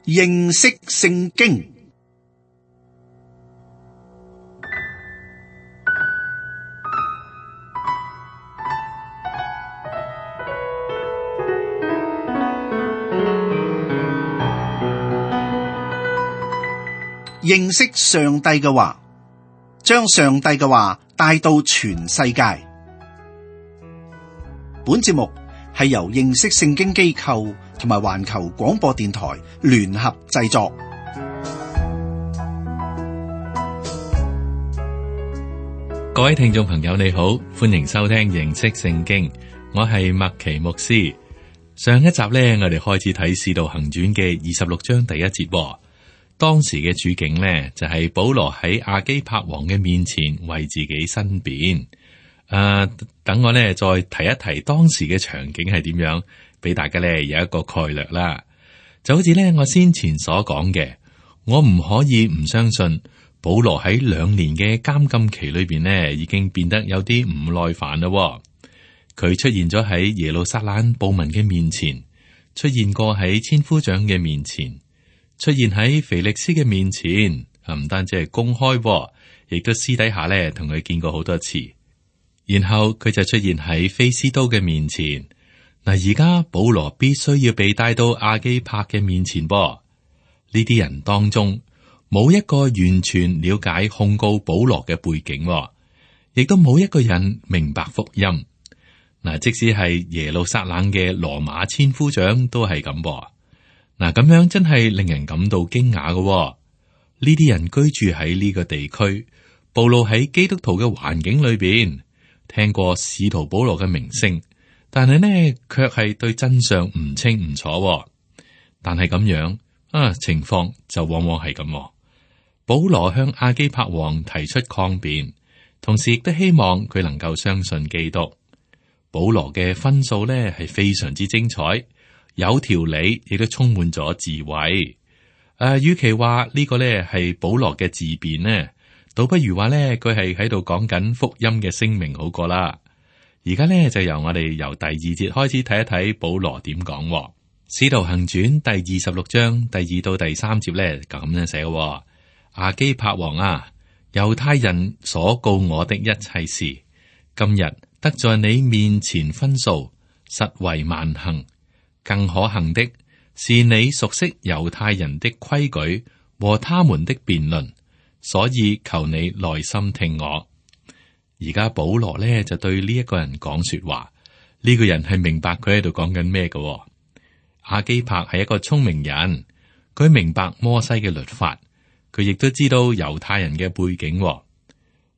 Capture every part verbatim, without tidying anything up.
認識聖經。認識上帝嘅話，將上帝嘅話帶到全世界。本節目係由認識聖經機構同埋環球廣播電台聯合製作。各位聽眾朋友，你好，歡迎收聽認識聖經。我係麥奇牧師。上一集呢，我哋開始睇《使徒行傳》嘅二十六章第一節。當時嘅處境呢，就係、是、保羅喺亞基帕王嘅面前為自己申辯。誒、呃，等我呢再提一提當時嘅場景係點樣，俾大家呢有一個概略啦。就好似呢我先前所講嘅，我唔可以唔相信保羅喺兩年嘅監禁期裏邊呢，已經變得有啲唔耐煩啦。佢出現咗喺耶路撒冷暴民嘅面前，出現過喺千夫長嘅面前。出現喺腓力斯嘅面前，唔單止係公開，亦都私底下咧同佢見過好多次。然後佢就出現喺菲斯都嘅面前。嗱，而家保羅必須要被帶到亞基帕嘅面前噃。呢啲人當中冇一個完全了解控告保羅嘅背景，亦都冇一個人明白福音。嗱，即使係耶路撒冷嘅羅馬千夫長都係咁噃。嗱，咁樣真係令人感到驚訝嘅。呢啲人居住喺呢個地區，暴露喺基督徒嘅環境裏邊，聽過使徒保羅嘅名聲，但係呢，卻係對真相唔清唔楚。但係咁樣啊，情況就往往係咁。保羅向亞基帕王提出抗辯，同時亦都希望佢能夠相信基督。保羅嘅分數呢係非常之精彩。有條理，亦都充滿咗智慧。誒、呃，與其話呢個咧係保羅嘅自辯呢，倒不如話咧佢係喺度講緊福音嘅聲明好過啦。而家咧就由我哋由第二節開始睇一睇保羅點講。《使徒行傳》第二十六章第二到第三節咧咁樣寫：亞基帕王啊，猶太人所告我的一切事，今日得在你面前分訴，實為萬幸。更可幸的是，你熟悉猶太人的規矩和他們的辯論，所以求你耐心聽我。而家保羅呢就對呢一個人講說話，呢、這個人係明白佢喺度講緊咩嘅。亞基帕係一個聰明人，佢明白摩西嘅律法，佢亦都知道猶太人嘅背景。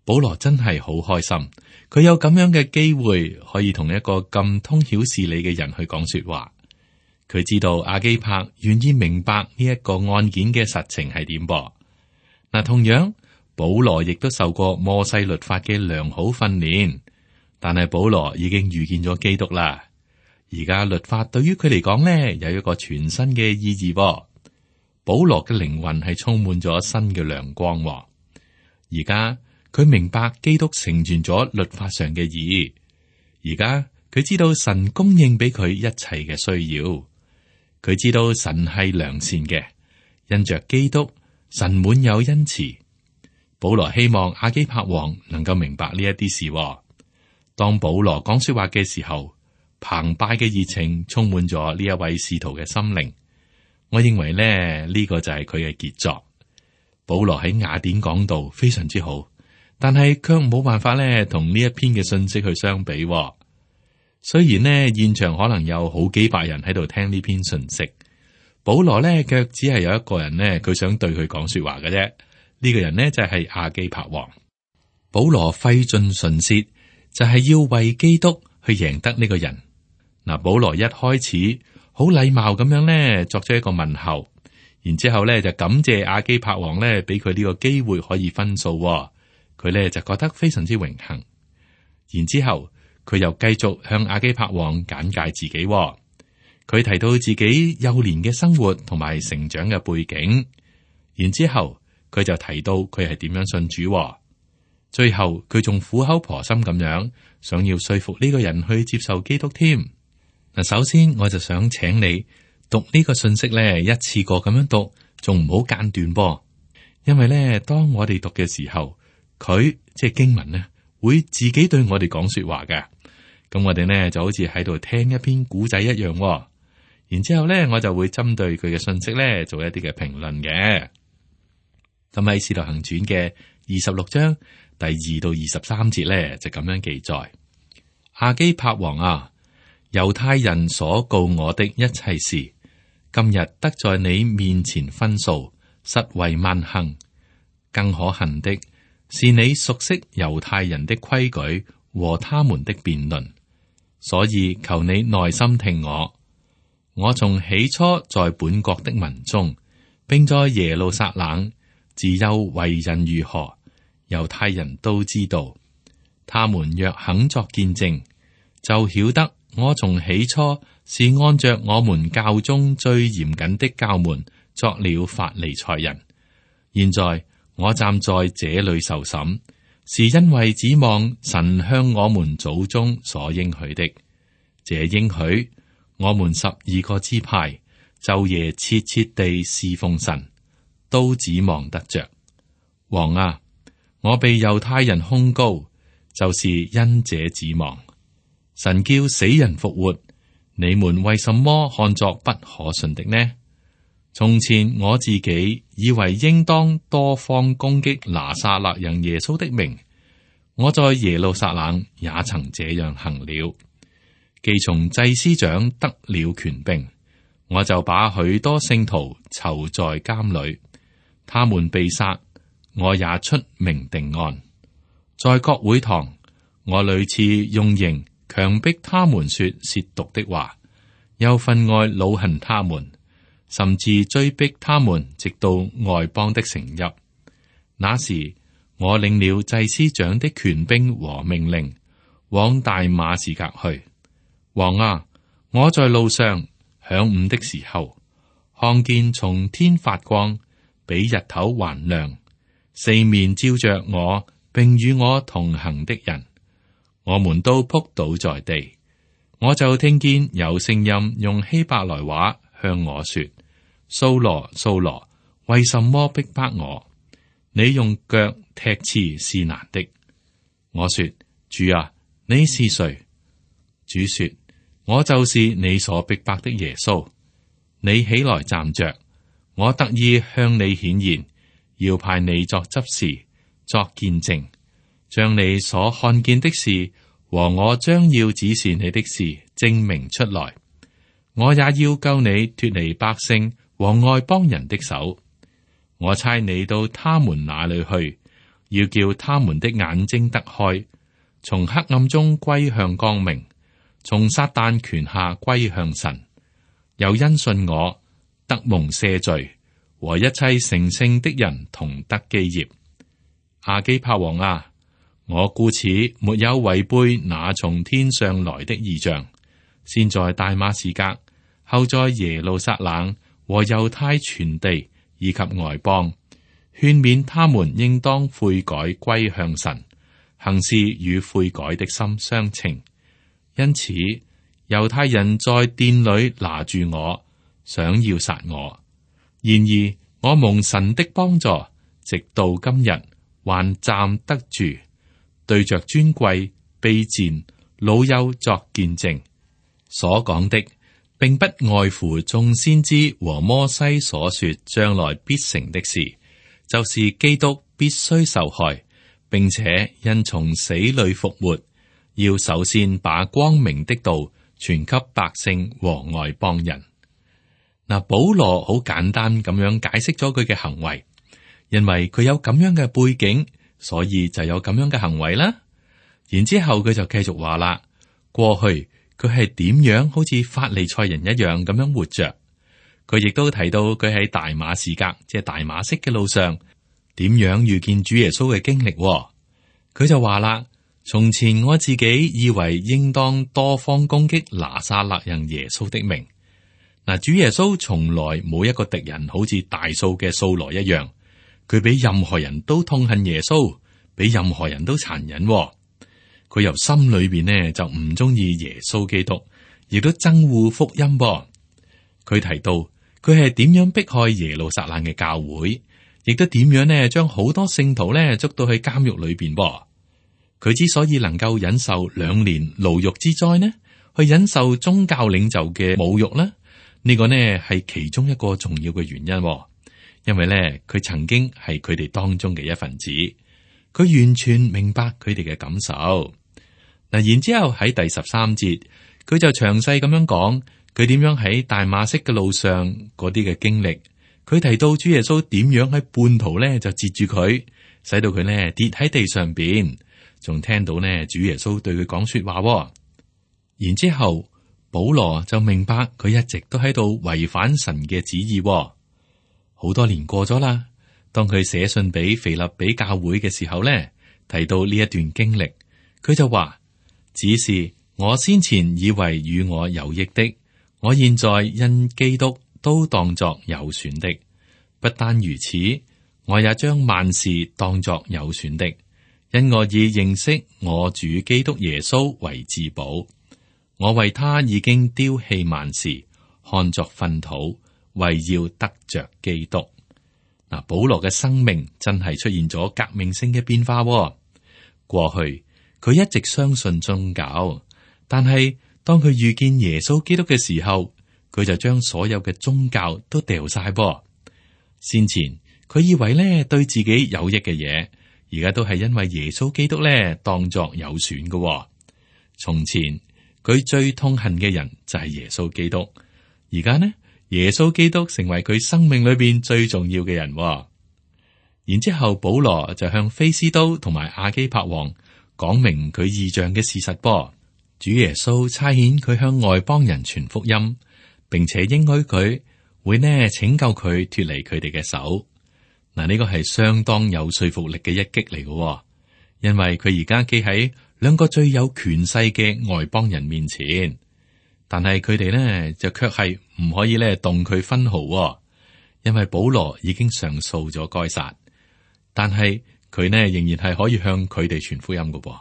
保羅真係好開心，佢有咁樣嘅機會可以同一個咁通曉事理嘅人去講說話。佢知道亞基帕願意明白呢一個案件嘅實情係點噃。嗱，同樣保羅亦都受過摩西律法嘅良好訓練，但係保羅已經遇見咗基督啦。而家律法對於佢嚟講呢，有一個全新嘅意義噃。保羅嘅靈魂係充滿咗新嘅亮光。而家佢明白基督成全咗律法上嘅義。而家佢知道神供應俾佢一切嘅需要。佢知道神係良善嘅，因着基督，神滿有恩慈。保羅希望亞基帕王能夠明白呢一啲事。當保羅講說話嘅時候，澎湃嘅熱情充滿咗呢一位使徒嘅心靈。我認為咧，呢、這個就係佢嘅傑作。保羅喺雅典講道非常之好，但係卻冇辦法咧同呢一篇嘅信息去相比。雖然呢，現場可能有好幾百人喺度聽呢篇信息，保羅呢卻只係有一個人呢，佢想對佢講說話嘅啫。呢、這個人呢，就係亞基帕王。保羅費盡唇舌，就係、是、要為基督去贏得呢個人。嗱，保羅一開始好禮貌咁樣呢，作咗一個問候，然之後咧就感謝亞基帕王呢，俾佢呢個機會可以分訴。佢呢，就覺得非常之榮幸。然之後。佢又繼續向亞基帕王簡介自己。佢提到自己幼年嘅生活同埋成長嘅背景，然之後佢就提到佢係點樣信主。最後佢仲苦口婆心咁樣想要說服呢個人去接受基督添。嗱，首先我就想請你讀呢個信息咧，一次過咁樣讀，仲唔好間斷噃。因為咧，當我哋讀嘅時候，佢即係經文咧，會自己對我哋講說話嘅。咁我哋呢就好似喺度聽一篇古仔一樣。然之後咧，我就會針對佢嘅信息咧，做一啲嘅評論嘅。咁喺《使徒行傳》嘅二十六章第二到二十三節咧，就咁樣記載：亞基帕王啊，猶太人所告我的一切事，今日得在你面前分訴，實為萬幸。更可恨的是，你熟悉猶太人的規矩和他們的辯論，所以求你耐心聽我。我從起初在本國的民中，並在耶路撒冷，自幼為人如何，猶太人都知道。他們若肯作見證，就曉得我從起初是按着我們教中最嚴謹的教門作了法利賽人。現在我站在這裏受審，是因為指望神向我們祖宗所應許的。這應許，我們十二個支派晝夜切切地侍奉神，都指望得着。王啊，我被猶太人控告，就是因這指望。神叫死人復活，你們為什麼看作不可信的呢？從前我自己以為應當多方攻擊拿撒勒人耶穌的名，我在耶路撒冷也曾這樣行了。既從祭司長得了權柄，我就把許多聖徒囚在監裏，他們被殺，我也出明定案。在各會堂，我屢次用刑強迫他們說褻瀆的話，又分外惱恨他們，甚至追逼他們直到外邦的城邑。那時我領了祭司長的權柄和命令，往大馬士革去。王啊，我在路上晌午的時候，看見從天發光，比日頭還亮，四面照着我，並與我同行的人，我們都仆倒在地。我就聽見有聲音用希伯來話向我說：掃羅，掃羅，為什麼逼迫我？你用腳踢刺是難的。我說：主啊，你是誰？主說：我就是你所逼迫的耶穌。你起來站着，我特意向你顯現，要派你作執事，作見證，將你所看見的事和我將要指示你的事證明出來。我也要救你脫離百姓和外邦人的手。我差你到他們那裏去，要叫他們的眼睛得開，從黑暗中歸向光明，從撒旦權下歸向神，又因信我得蒙赦罪，和一切成聖的人同得基業。亞基帕王啊，我故此沒有違背那從天上來的異象，先在大馬士革，後在耶路撒冷和猶太全地以及外邦，勸勉他們應當悔改歸向神，行事與悔改的心相稱。因此，猶太人在殿裏拿住我，想要殺我。然而，我蒙神的幫助，直到今日還站得住，對着尊貴、卑賤、老幼作見證。所講的，並不外乎眾先知和摩西所說將來必成的事，就是基督必須受害，並且因從死裏復活。要首先把光明的道傳給百姓和外邦人。嗱，保羅好簡單咁樣解釋咗佢嘅行為，因為佢有咁樣嘅背景，所以就有咁樣嘅行為啦。然之後佢就繼續話啦，過去佢係點樣好似法利賽人一樣咁樣活着。佢亦都提到佢喺大馬士革，即係大馬色嘅路上，點樣遇見主耶穌嘅經歷。佢就話啦。從前我自己以為應當多方攻擊拿撒勒人耶穌的名。嗱，主耶穌從來冇一個敵人好似大數嘅掃羅一樣，佢比任何人都痛恨耶穌，比任何人都殘忍。佢由心裏邊呢就唔中意耶穌基督，亦都憎惡福音。佢提到佢係點樣迫害耶路撒冷嘅教會，亦都點樣呢將好多聖徒呢捉到去監獄裏邊噃。佢之所以能夠忍受兩年牢獄之災呢，去忍受宗教領袖嘅侮辱呢，呢個呢係其中一個重要嘅原因。因為呢，佢曾經係佢哋當中嘅一份子，佢完全明白佢哋嘅感受。嗱，然之後喺第十三節，佢就詳細咁樣講佢點樣喺大馬色嘅路上嗰啲嘅經歷。佢提到主耶穌點樣喺半途呢就截住佢，使到佢呢跌喺地上邊，仲聽到呢主耶穌對佢講說話。然之後保羅就明白佢一直都喺度違反神嘅旨意。好多年過咗啦，當佢寫信俾腓立比教會嘅時候呢，提到呢一段經歷，佢就話：只是我先前以為與我有益的，我現在因基督都當作有損的。不單如此，我也將萬事當作有損的，因我以認識我主基督耶穌為至寶。我為他已經丟棄萬事，看作糞土，為要得着基督。嗱，保羅嘅生命真係出現咗革命性嘅變化。過去佢一直相信宗教，但係當佢遇見耶穌基督嘅時候，佢就將所有嘅宗教都掉晒噃。先前佢以為咧對自己有益嘅嘢，而家都係因為耶穌基督咧當作有損嘅。從前佢最痛恨嘅人就係耶穌基督，而家呢，耶穌基督成為佢生命裏邊最重要嘅人。然之後保羅就向菲斯都同埋亞基帕王講明佢異象嘅事實噃。主耶穌差遣佢向外邦人傳福音，並且應許佢會呢拯救佢脫離佢哋嘅手。嗱，呢個係相當有說服力嘅一擊嚟嘅，因為佢而家企喺兩個最有權勢嘅外邦人面前，但係佢哋呢就卻係唔可以呢動佢分毫，因為保羅已經上訴咗該撒，但係佢呢仍然係可以向佢哋傳福音嘅噃。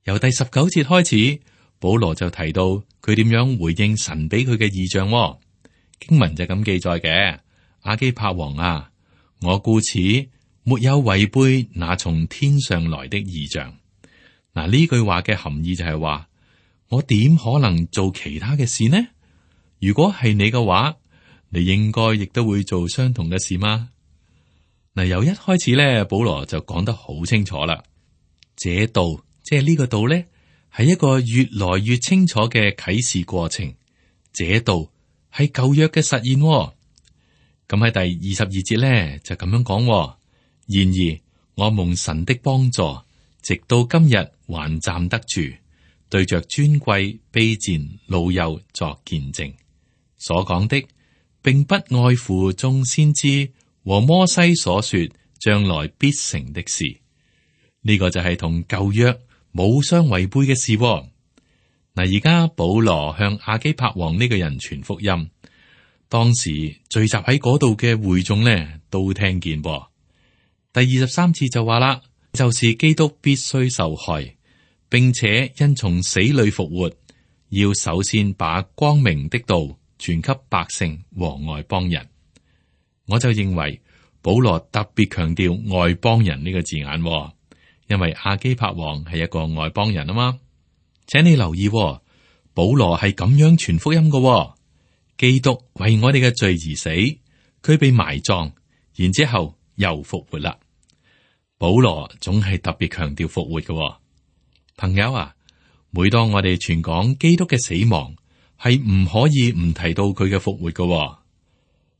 由第十九節開始，保羅就提到佢點樣回應神俾佢嘅異象。經文就咁記載嘅：亞基帕王啊，我故此沒有違背那從天上來的異象。嗱，呢句話嘅含義就係話，我點可能做其他嘅事呢？如果係你嘅話，你應該亦都會做相同嘅事嗎？嗱，由一開始咧，保羅就講得好清楚啦。這道，即係呢個道咧，係一個越來越清楚嘅啟示過程。這道係舊約嘅實現。咁喺第二十二節咧就咁樣講。然而我蒙神的幫助，直到今日還站得住，對着尊貴、卑賤、老幼作見證。所講的，並不外乎眾先知和摩西所說將來必成的事。呢、這個就係同舊約冇相違背嘅事。嗱，而家保羅向亞基帕王呢個人傳福音，當時聚集喺嗰度嘅會眾呢都聽見噃。第二十三節就話啦，就是基督必須受害，並且因從死裏復活，要首先把光明的道傳給百姓和外邦人。我就認為保羅特別強調外邦人呢個字眼，因為亞基帕王係一個外邦人啊嘛。請你留意，保羅係咁樣傳福音嘅。基督為我哋嘅罪而死，佢被埋葬，然之後又復活啦。保羅總係特別強調復活嘅。朋友啊，每當我哋傳講基督嘅死亡，係唔可以唔提到佢嘅復活嘅。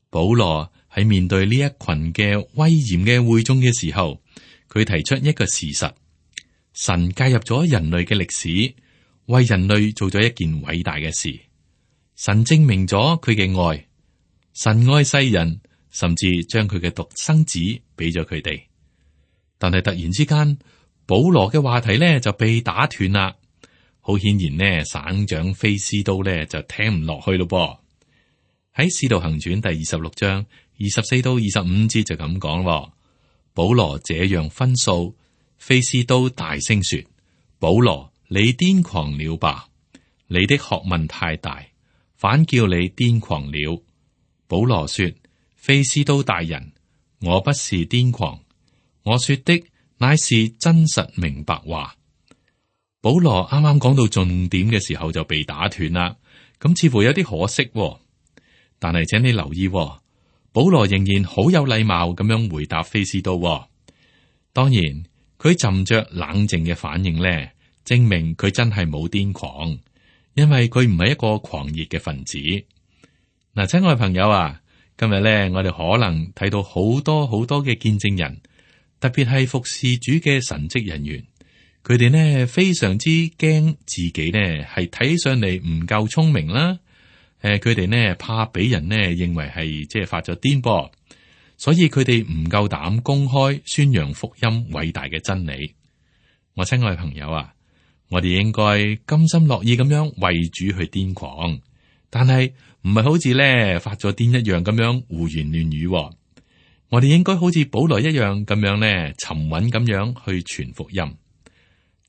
保羅喺面對呢一群嘅威嚴嘅會眾嘅時候，佢提出一個事實：神介入咗人類嘅歷史，為人類做咗一件偉大嘅事。神證明咗佢嘅愛，神愛世人，甚至將佢嘅獨生子俾咗佢哋。但係突然之間，保羅嘅話題咧就被打斷啦。好顯然呢，省長菲斯都咧就聽唔落去咯噃。喺《使徒行傳》第二十六章二十四到二十五節就咁講：保羅這樣分訴，菲斯都大聲說：保羅，你癲狂了吧？你的學問太大，反叫你癲狂了。保羅說：非斯都大人，我不是癲狂，我說的乃是真實明白話。保羅啱啱講到重點嘅時候就被打斷啦，咁似乎有啲可惜喎。但係請你留意喎，保羅仍然好有禮貌咁樣回答非斯都喎。當然，佢浸着冷靜嘅反應咧，證明佢真係冇癲狂，因為佢唔係一個狂熱嘅分子。嗱，親愛朋友啊，今日咧我哋可能睇到好多好多嘅見證人，特別係服侍主嘅神職人員。佢哋呢非常之驚自己呢係睇起上嚟唔夠聰明啦，誒，佢哋呢怕俾人呢認為係即係發咗癲噃，所以佢哋唔夠膽公開宣揚福音偉大嘅真理。我親愛朋友啊，我哋應該甘心樂意咁樣為主去癲狂，但係唔係好似咧發咗癲一樣咁樣胡言亂語。我哋應該好似保羅一樣咁樣呢沉穩咁樣去傳福音。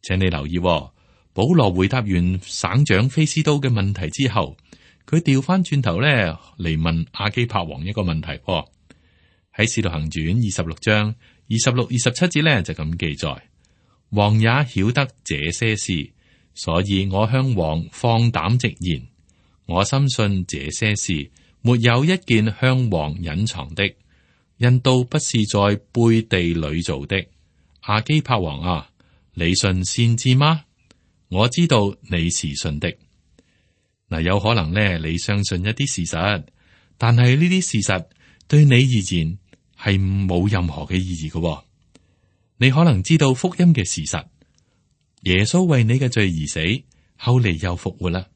請你留意，保羅回答完省長非斯都嘅問題之後，佢調翻轉頭咧嚟問亞基帕王一個問題。喺《使徒行傳》二十六章二十六、二十七節咧就咁記載：王也曉得這些事，所以我向王放膽直言，我深信這些事沒有一件向王隱藏的，因都不是在背地裏做的。亞基帕王啊，你信先知嗎？我知道你是信的。嗱，有可能咧，你相信一啲事實，但係呢啲事實對你而言係冇任何嘅意義嘅。你可能知道福音嘅事實，耶穌為你嘅罪而死，後嚟又復活啦。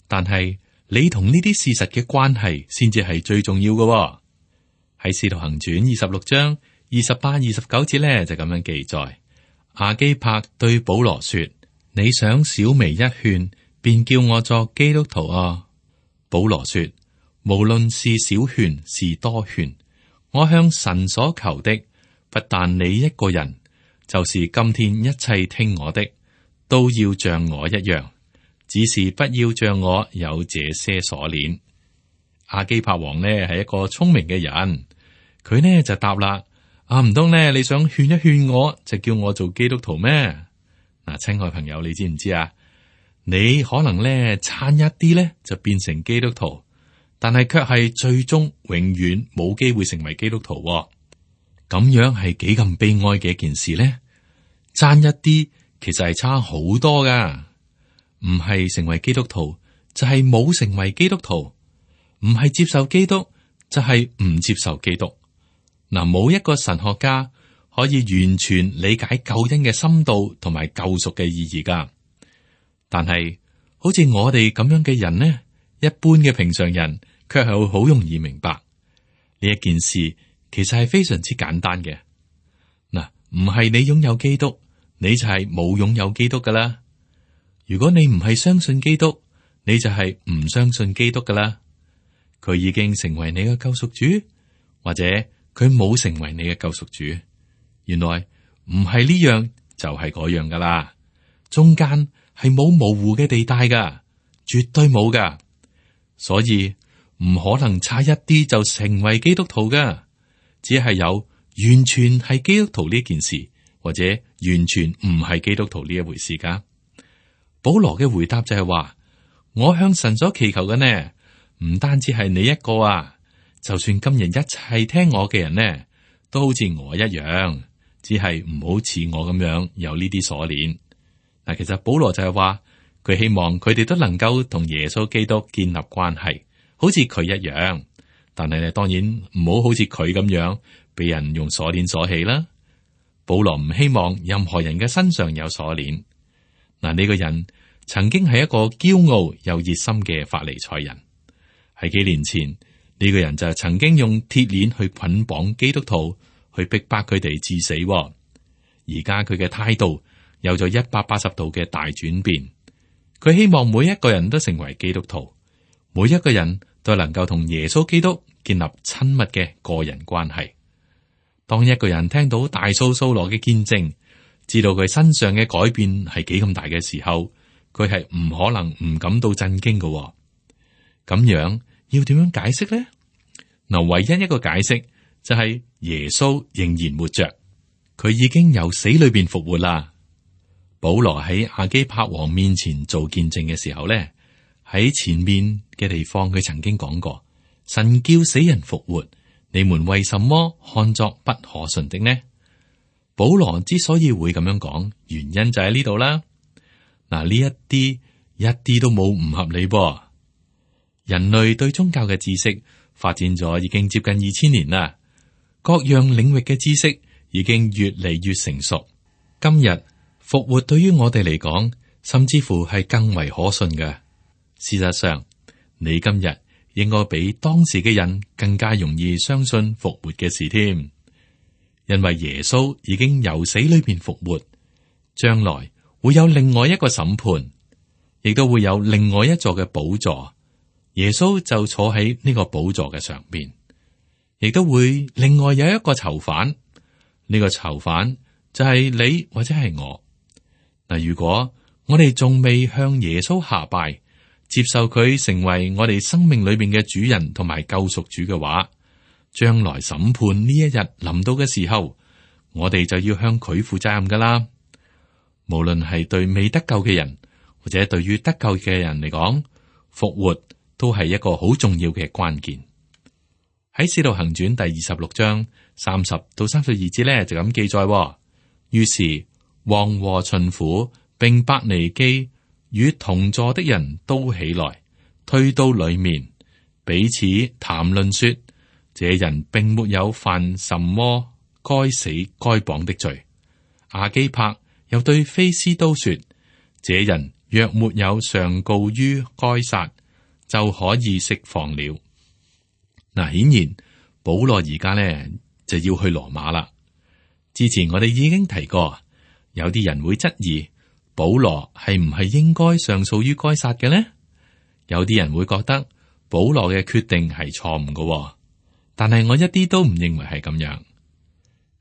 但係你同呢啲事實嘅關係先至係最重要嘅。喺《使徒行傳》二十六章二十八、二十九節咧就咁樣記載。亞基帕對保羅說：你想小微一勸，便叫我作基督徒啊？保羅說：無論是小勸是多勸，我向神所求的，不但你一個人，就是今天一切聽我的，都要像我一樣，只是不要像我有這些鎖鏈。亞基帕王呢係一個聰明嘅人，佢呢就答啦。啊，唔通咧？你想勸一勸我，就叫我做基督徒咩？嗱，親愛朋友，你知唔知啊？你可能咧差一啲咧就變成基督徒，但係卻係最終永遠冇機會成為基督徒。咁樣係幾咁悲哀嘅一件事咧？差一啲，其實係差好多噶。唔係成為基督徒，就係冇成為基督徒；唔係接受基督，就係唔接受基督。嗱，冇一個神學家可以完全理解救恩嘅深度同埋救贖嘅意義噶。但係好似我哋咁樣嘅人呢，一般嘅平常人，卻係會好容易明白呢一件事，其實係非常之簡單嘅。嗱，唔係你擁有基督，你就係冇擁有基督噶啦。如果你唔係相信基督，你就係唔相信基督噶啦。佢已經成為你嘅救贖主，或者佢冇成為你嘅救贖主，原來唔係呢樣就係嗰樣噶啦，中間係冇模糊嘅地帶噶，絕對冇噶，所以唔可能差一啲就成為基督徒噶，只係有完全係基督徒呢件事，或者完全唔係基督徒呢一回事噶。保羅嘅回答就係話：我向神所祈求嘅呢，唔單止係你一個啊。就算今日一切聽我嘅人呢，都好似我一樣，只係唔好似我咁樣有呢啲鎖鏈。嗱，其實保羅就係話，佢希望佢哋都能夠同耶穌基督建立關係，好似佢一樣。但係咧，當然唔好好似佢咁樣俾人用鎖鏈鎖起啦。保羅唔希望任何人嘅身上有鎖鏈。嗱，呢個人曾經係一個驕傲又熱心嘅法利賽人，喺幾年前。呢個人就曾經用鐵鏈去捆綁基督徒，去逼迫佢哋致死。而家佢嘅態度有咗一百八十度嘅大轉變。佢希望每一個人都成為基督徒，每一個人都能夠同耶穌基督建立親密嘅個人關係。當一個人聽到大數掃羅嘅見證，知道佢身上嘅改變係幾咁大嘅時候，佢係唔可能唔感到震驚嘅。咁樣要點樣解釋呢？嗱，唯一一個解釋就係耶穌仍然活着，佢已經由死裏邊復活啦。保羅喺亞基帕王面前做見證嘅時候咧，喺前面嘅地方佢曾經講過：神叫死人復活，你們為什麼看作不可信的呢？保羅之所以會咁樣講，原因就喺呢度啦。嗱，呢一啲一啲都冇唔合理噃。人類對宗教嘅知識發展咗已經接近二千年啦，各樣領域嘅知識已經越嚟越成熟。今日復活對於我哋嚟講，甚至乎係更為可信嘅。事實上，你今日應該比當時嘅人更加容易相信復活嘅事添，因為耶穌已經由死裏邊復活，將來會有另外一個審判，亦都會有另外一座嘅寶座。耶穌就坐喺呢個寶座嘅上邊，亦都會另外有一個囚犯。呢、這個囚犯就係你或者係我。嗱，如果我哋仲未向耶穌下拜，接受佢成為我哋生命裏邊嘅主人同埋救贖主嘅話，將來審判呢一日臨到嘅時候，我哋就要向佢負責任噶啦。無論係對未得救嘅人，或者對於得救嘅人嚟講，復活都係一個好重要嘅關鍵。喺《使徒行傳》第二十六章三十到三十二節咧，就咁記載。於是王和巡撫並伯尼基與同座的人都起來，退到裏面，彼此談論說：這人並沒有犯什麼該死該綁的罪。亞基帕又對非斯都說：這人若沒有上告於該撒，就可以釋放了。嗱，顯然保羅而家呢就要去羅馬啦。之前我哋已經提過，有啲人會質疑保羅係唔係應該上訴於該撒嘅呢？有啲人會覺得保羅嘅決定係錯誤嘅，但係我一啲都唔認為係咁樣。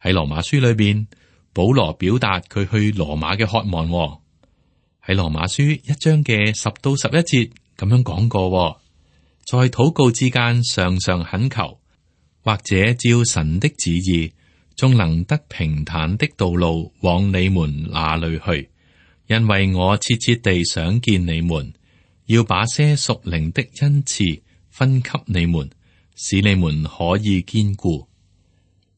喺羅馬書裏邊，保羅表達佢去羅馬嘅渴望。喺羅馬書一章嘅十到十一節。咁樣講過，在禱告之間常常懇求，或者照神的旨意，終能得平坦的道路往你們那裏去。因為我切切地想見你們，要把些屬靈的恩賜分給你們，使你們可以堅固。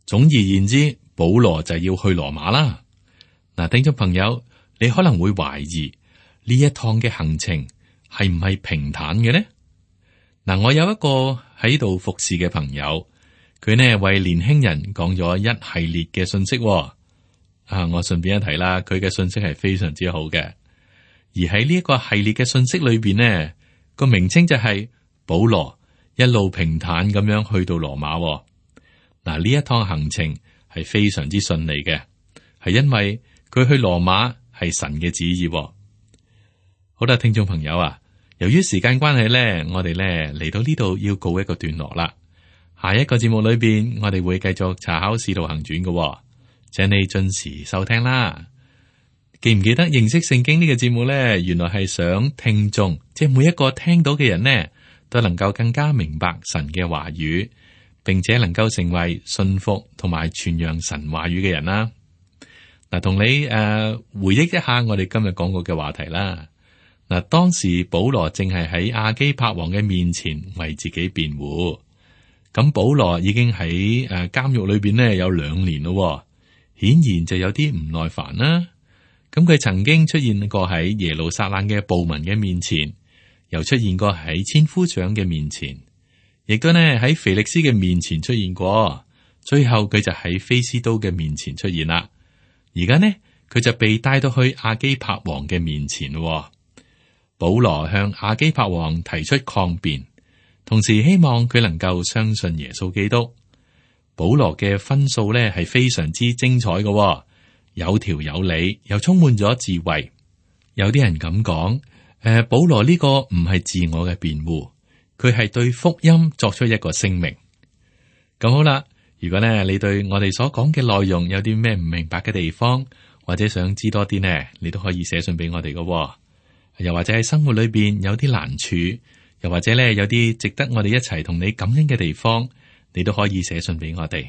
總而言之，保羅就要去羅馬啦。嗱，聽眾朋友，你可能會懷疑呢一趟嘅行程係唔係平坦嘅呢？嗱，我有一個喺度服侍嘅朋友，佢呢為年輕人講咗一系列嘅信息。啊，我順便一提啦，佢嘅信息係非常之好嘅。而喺呢一個系列嘅信息裏邊呢，個名稱就係保羅一路平坦咁樣去到羅馬。嗱，呢一趟行程係非常之順利嘅，係因為佢去羅馬係神嘅旨意。好啦，聽眾朋友啊，由於時間關係咧，我哋咧嚟到呢度要告一個段落啦。下一個節目裏邊，我哋會繼續查考使徒行傳嘅，請你準時收聽啦。記唔記得認識聖經呢個節目咧？原來係想聽眾，即係每一個聽到嘅人呢，都能夠更加明白神嘅話語，並且能夠成為信服同埋傳揚神話語嘅人啦。嗱，同你誒、呃、回憶一下我哋今日講過嘅話題啦。嗱，當時保羅正係喺亞基帕王嘅面前為自己辯護，咁保羅已經喺誒監獄裏邊呢有兩年咯，顯然就有啲唔耐煩啦。咁佢曾經出現過喺耶路撒冷嘅暴民嘅面前，又出現過喺千夫長嘅面前，亦都呢喺腓力斯嘅面前出現過，最後佢就喺菲斯都嘅面前出現啦。而家呢佢就被帶到去亞基帕王嘅面前咯。保羅向亞基帕王提出抗辯，同時希望佢能夠相信耶穌基督。保羅嘅分數咧係非常之精彩嘅，有條有理，又充滿咗智慧。有啲人咁講，誒、呃，保羅呢個唔係自我嘅辯護，佢係對福音作出一個聲明。咁好啦，如果咧你對我哋所講嘅內容有啲咩唔明白嘅地方，或者想知多啲呢，你都可以寫信俾我哋嘅。又或者喺生活裏邊有啲難處，又或者咧有啲值得我哋一齊同你感恩嘅地方，你都可以寫信俾我哋。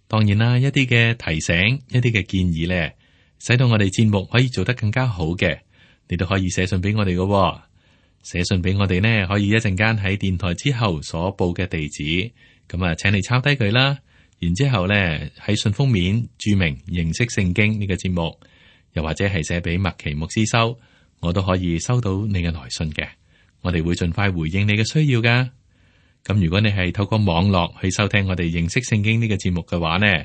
當然啦，一啲嘅提醒，一啲嘅建議咧，使到我哋節目可以做得更加好嘅，你都可以寫信俾我哋嘅。寫信俾我哋呢，可以一陣間喺電台之後所報嘅地址，咁啊，請你抄低佢啦。然之後咧喺信封面注明認識聖經呢個節目，又或者係寫俾麥奇牧師收，我都可以收到你嘅來信嘅。我哋會盡快回應你嘅需要噶。咁如果你係透過網絡去收聽我哋認識聖經呢個節目嘅話呢，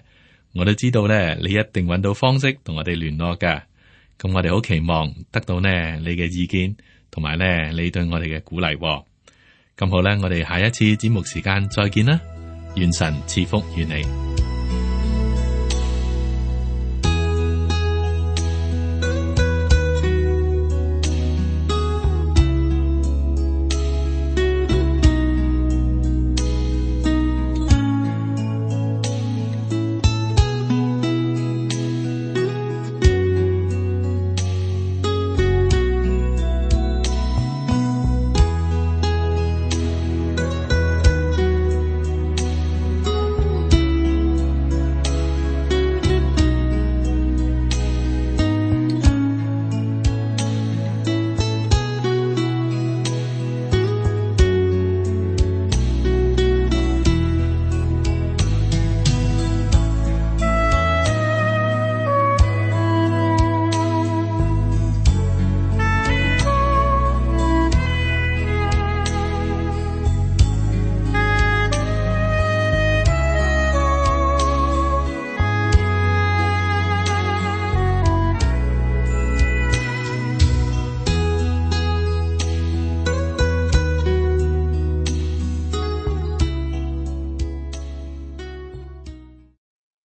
我都知道咧，你一定揾到方式同我哋聯絡噶。咁我哋好期望得到呢你嘅意見，同埋呢你對我哋嘅鼓勵。咁好啦，我哋下一次節目時間再見啦，願神賜福與你。